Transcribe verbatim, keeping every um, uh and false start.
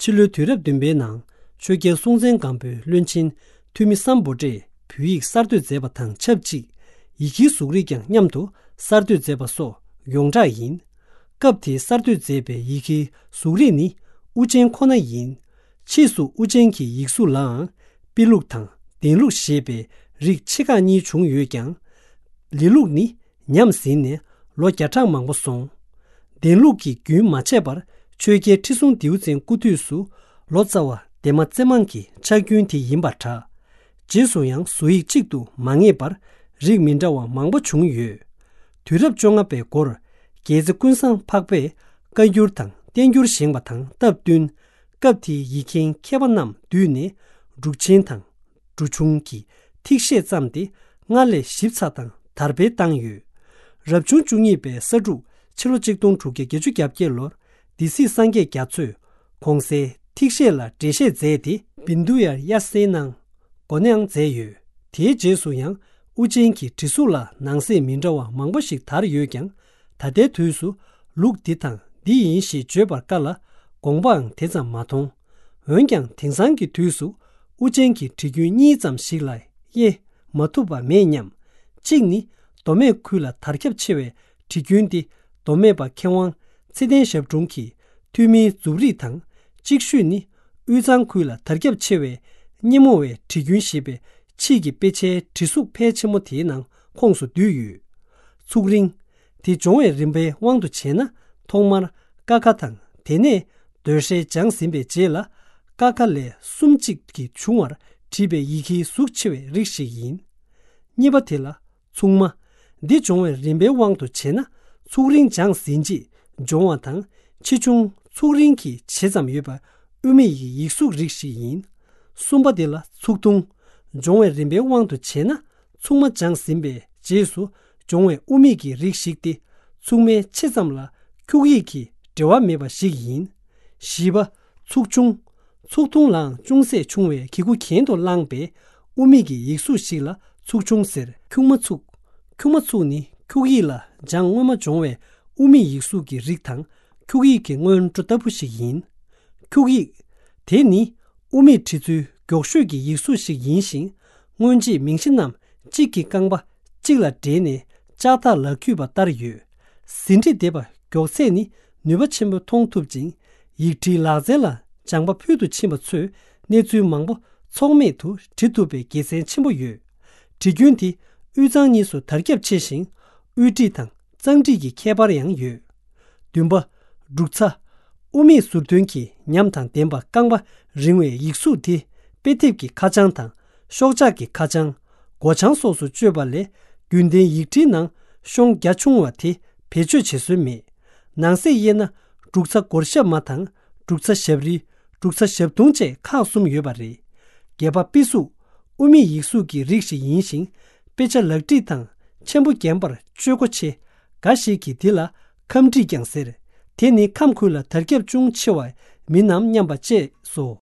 ཕྱི་ལོའི་དུས་རབས་བདུན་པའི་ནང་ཆོས་རྒྱལ་སྲོང་བཙན་སྒམ་པོའི་བློན་ཆེན་འཐུས་མི་སམ་བྷོ་ཊས་བོད་ཡིག་གསར་གཏོད་མཛད་པ་དང་ཆབས་ཅིག་ཡི་གེའི་གཟུགས་རིས་ཀྱང་མཉམ་དུ་གསར་གཏོད་མཛད་པ་སོགས་ཡོངས་གྲགས་ཡིན། སྐབས་དེའི་གསར་གཏོད་མཛད་པའི་ཡི་གེའི་གཟུགས་རིས་ནི་དབུ་ཅན་ཁོ་ན་ཡིན། ཕྱིས་སུ་དབུ་ཅན་གྱི་ཡིག་གཟུགས་ལའང་པི་ལུགས་དང་ལྡན་ལུགས་ཞེས་པའི་རིགས་ཆེ་ཁག་གཉིས་བྱུང་ཡོད་ཀྱང་། ལི་ལུགས་ནི་ཉམས་ཟིན་ནས་ལོ་བརྒྱ་ཕྲག་མང་པོ་སོང་། ལྡན་ལུགས་ཀྱི་རྒྱུན་མ་ཆད་པར་ཆོས་རྒྱལ་ཁྲི་སྲོང་ལྡེའུ་བཙན་སྐུ་དུས་སུ་ལོ་ཙཱ་བ་ལྡན་མ་རྩེ་མང་གི་ཕྱག་རྒྱུན་དེ་ཡིན་པར་གྲགས། རྗེས་སུ་ཡང་བཟོ་ཡིག་གཅིག་ཏུ་མ་ངེས་པར་རིགས་མི་འདྲ་བ་མང་པོ་བྱུང་ཡོད། དུས་རབས་བཅོ་ལྔ་པའི་འགོར་རྒྱལ་རྩེ་ཀུན་བཟང་འཕགས་པས་བཀའ་འགྱུར་དང་བསྟན་འགྱུར་བཞེངས་པ་དང་སྟབས་བསྟུན། སྐབས་དེའི་ཡིག་མཁན་མཁས་པ་རྣམས་བསྡུས་ནས་འབྲུག་ཆེན་དང་། འབྲུག་ཆུང་གི་ཐིག་ཤད་བརྩམས་ཏེ་སྔར་ལས་ཞིབ་ཚགས་དང་དར་སྤེལ་བཏང་ཡོད། རབ་བྱུང་བཅུ་གཉིས་པའི་ས་འབྲུག་ཕྱི་ལོ་ཆིག་སྟོང་དྲུག་བརྒྱ་བརྒྱད་ཅུ་གྱ་བརྒྱད་ལོར་སྡེ་སྲིད་སངས་རྒྱས་རྒྱ་མཚོས་གོང་གསལ་ཐིག་ཤད་ལ་འགྲེལ་བཤད་མཛད་དེ་བིན་དུ་ཡར་དབྱར་གསལ་གནང་། འགོ་ནས་མཛད་ཡོད། དེའི་རྗེས་སུ་ཡང་དབུ་ཅན་གྱི་བྲིས་གཟུགས་ལ་ནང་གསེས་མི་འདྲ་བ་མང་པོ་ཞིག་དར་ཡོད་ཀྱང་། ད་ལྟའི་དུས་སུ་ལུགས་འདི་དང་འདི་ཡིན་ཞེས་བརྗོད་པར་དཀའ་ལ། དགོངས་པའང་དེ་ཙམ་མ་མཐོང་། འོན་ཀྱང་དེང་སང་གི་དུས་སུ་དབུ་ཅན་གྱི་བྲིས་རྒྱུན་གཉིས་ཙམ་ཞིག་ལ་དབྱེ་མ་ཐུབ་པ་མེད་སྙམ། གཅིག་ནི་མདོ་སྨད་ཁུལ་ལ་དར་ཁྱབ་ཆེ་བའི་བྲིས་རྒྱུན་ཏེ། མདོ་སྨད་པ་མཁས་དབང་ཚེ་བརྟན་ཞབས་དྲུང་གིས་ཐོན་མིའི་མཛུབ་རིས་དང་། གཅིག་ཤོས་ནི་དབུས་གཙང་ཁུལ་ལ་དར་ཁྱབ་ཆེ་བའི་སྙེ་མོ་བའི་བྲིས་རྒྱུན་ཞེས་པའི་ཕྱིས་ཀྱི་དཔེ་ཆའི་བྲིས་གཟུགས་ཕལ་ཆེན་པོ་དེའི་ནང་ཁོངས་སུ་འདུས་ཡོད། ཚུགས་རིང་། དེ་སྦྱོང་བའི་རིམ་པའི་དབང་དུ་བྱས་ན། ཐོག་མར་ཀ་ཁ་དང་དེ་ནས་ཟློས་གྲྭའི་སྦྱངས་ཟིན་པའི་རྗེས་ལ་ཀ་ཁ་ལས་གསུམ་གཅིག་གིས་བྱུང་བར་བྲིས་པའི་ཡི་གེའི་གཟུགས་ཆེ་བའི་རིགས་ཤིག་ཡིན། གཉིས་པ་དེ་ལ་ཚུགས་མ། འདི་སྦྱོང་བའི་རིམ་པའི་དབང་དུ་བྱས་ན། ཚུགས་རིང་སྦྱངས་ཟིན་རྗེས་སྦྱོང་བ་དང་ཆེ་ཆུང་ཚུགས་རིང་གི་ཇེ་ཙམ་ཡོད་པ་དབུ་མེད་ཀྱི་ཡིག་གཟུགས་རིགས་ཤིག་ཡིན། གསུམ་པ་དེ་ལ་ཚུགས་ཐུང་། སྦྱོང་བའི་རིམ་པའི་དབང་དུ་བྱས་ན། ཚུགས་མ་སྦྱངས་ཟིན་པའི་རྗེས་སུ་སྦྱོང་བའི་དབུ་མེད་ཀྱི་རིགས་ཤིག་སྟེ། ཚུགས་མའི་ཆེ་ཙམ་ལ་འཁྱུག་ཡིག་གི་འབྲེལ་བ་མེད་པ་ཞིག་ཡིན། བཞི་པ། ཚུགས་ཆུང་། ཚུགས་ཐུང་ལའང་ཅུང་ཟད་ཆུང་བའི་གི་གུ་གྱེན་དུ་བླངས་པའི་དབུ་མེད་ཀྱི་ཡིག་གཟུགས་ཤིག་ལ་ཚུགས་ཆུང་ཟེར། འཁྱུག་མ་ཚུགས། འཁྱུག་མ་ཚུགས་ནི་འཁྱུག་ཡིག་ལ་སྦྱངས་སྔོན་མ་སྦྱོང་བའི་དབུ་མེད་ཡིག་གཟུགས་ཀྱི་རིགས་དང་འཁྱུག་ཡིག་གི་སྔོན་འགྲོ་ལྟ་བུ་ཞིག་ཡིན། འཁྱུག་ཡིག་དེ་ནི་དབུ་མེད་བྲི་ཚུལ་མགྱོགས་ཤོས་ཀྱི་ཡིག་གཟུགས་ཤིག་ཡིན་ཞིང་། སྔོན་རྗེས་མིང་གཞི་རྣམས་གཅིག་གི་རྐང་པ་གཅིག་ལ་སྦྲེལ་ནས་ལྕགས་ཐག་ལག་འཁྱུད་པ་ལྟར་ཡོད། ཟིན་བྲིས་འདེབས་པ་མགྱོགས་ཚད་ནི་ནུས་པ་ཆེན་པོ་མཐོང་ཐུབ་ཅིང་། ཡིག་བྲིས་ལག་རྩལ་ལ་སྦྱངས་པ་ཕུལ་དུ་ཕྱིན་པ་ཚོས་གནས་ཚུལ་མང་པོ་ཚོགས་མེད་དུ་བྲི་ཐུབ་པའི་དགེ་མཚན་ཆེན་པོ་ཡོད། བྲིས་རྒྱུན་དེ་དབུས་གཙང་གཉིས་སུ་དར་ཁྱབ་ཆེ་ཞིང་། དབུས་བྲིས་དང་གཙང་བྲིས་ཀྱི་ཁྱད་པར་ཡང་ཡོད། བདུན་པ། འབྲུག་ཚ། དབུ་མེད་ཟུར་འདོན་གྱི་ཉམས་དང་ལྡན་པ་རྐང་པ་རིང་བའི་ཡིག་གཟུགས་དེ་དཔེ་དེབ་ཀྱི་ཁ་བྱང་དང་ཤོག་ཆག་གི་ཁ་བྱང་། སྒོ་བྱང་སོགས་སུ་སྤྱོད་པ་ལས་རྒྱུན་ལྡན་ཡིག་བྲིས་ནང་ཤོང་རྒྱ་ཆུང་བ་དེ་བེད་སྤྱོད་བྱེད་སྲོལ་མེད། ནང་གསེས་དབྱེ་ན་འབྲུག་ཚ་སྒོར་ཞབས་མ་དང་འབྲུག་ཚ་ཞབས་རིལ། འབྲུག་ཚ་ཞབས་དུང་བཅས་ཁག་གསུམ་ཡོད་པ་རེད། རྒྱལ་པ་པི་གཟུགས་དབུ་མེད་ཡིག་གཟུགས་ཀྱི་རིགས་ཤིག་ཡིན་ཞིང་། དཔེ་ཆ་ལག་བྲིས་དང་ཆེན་པོ་བརྒྱན་པར་སྤྱོད་སྒོ་ཆེ། འགའ་ཞིག་གིས་འདི་ལ་ཁམས་བྲིས་ཀྱང་ཟེར། དེ་ནི་ཁམས་ཁུལ་ལ་དར་ཁྱབ་ཅུང་ཆེ་བ་མིན་ནམ་སྙམ་པ་བཅས་སོ།